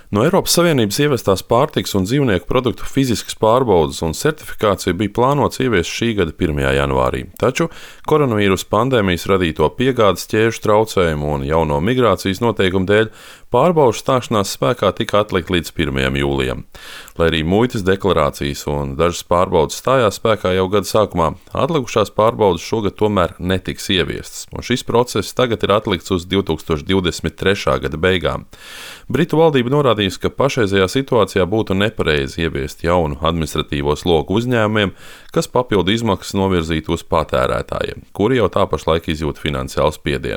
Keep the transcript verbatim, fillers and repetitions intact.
No Eiropas Savienības ievestās pārtikas un dzīvnieku produktu fiziskas pārbaudes un certifikācija bija plānots ieviest šī gada pirmajā janvārī, taču koronavīrusa pandēmijas radīto piegādes ķēžu traucējumu un jauno migrācijas noteikumu dēļ pārbaužu stāšanās spēkā tika atlikt līdz pirmajam jūlijam. Lai arī muitas deklarācijas un dažas pārbaudes stājās spēkā jau gada sākumā, atlikušās pārbaudes šogad tomēr netiks ieviestas, un šis process tagad ir atlikts uz divi tūkstoši divdesmit trešā gada beigām. Britu valdība norādījusi, ka pašreizējā situācijā būtu nepareizi ieviest jaunu administratīvo slogu uzņēmumiem, kas papildu izmaksas novirzītu uz patērētājiem, kuri jau tā pašlaik izjūt finansiālu spiedienu.